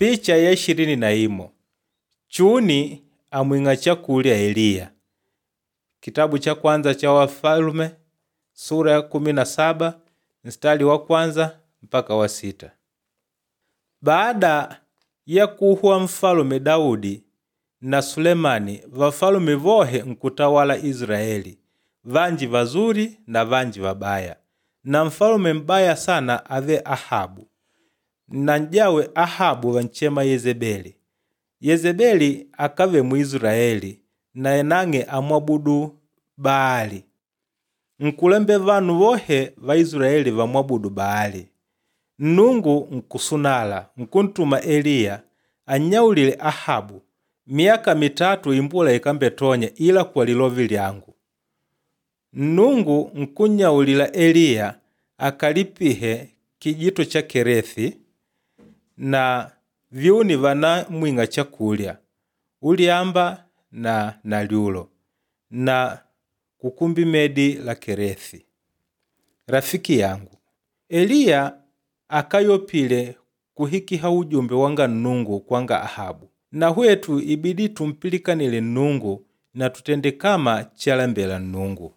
Picha ya 21 Chuni amwing'a chakulya Eliya. Kitabu cha kwanza cha Wafalume sura ya 17 mstari wa kwanza mpaka wa sita. Baada ya kuhwa mfalume Daudi na Sulemani, vafalume vohe nkutawala Israeli, vanji vazuri na vanji vabaya. Na mfalume m'baya sana ave Ahabu na n'jawe Ahabu vanchema Yezebeli. Yezebeli akave Muisraeli naye nang'e amwabudu Baali. Nkulembe vanu vohe va Israeli vamwabudu Baali. Nnungu nkusunala nkuntuma Eliya annyaulile Ahabu, miyaka mitatu imbula ikambetonya ila kwa lilovi lyangu. Nnungu nkunnyaulila Eliya akalipihe kijito cha Kerethi na vyuni vanamwing'a chakulya ulyamba na nalyulo na kukumbi medi la Kerethi. Rafiki yangu, Eliya akayopile kuhikiha ujumbe wanga Nnungu kwanga Ahabu. Na hwetu ibidi tumpilikanile Nnungu na tutende kama chalembela Nnungu.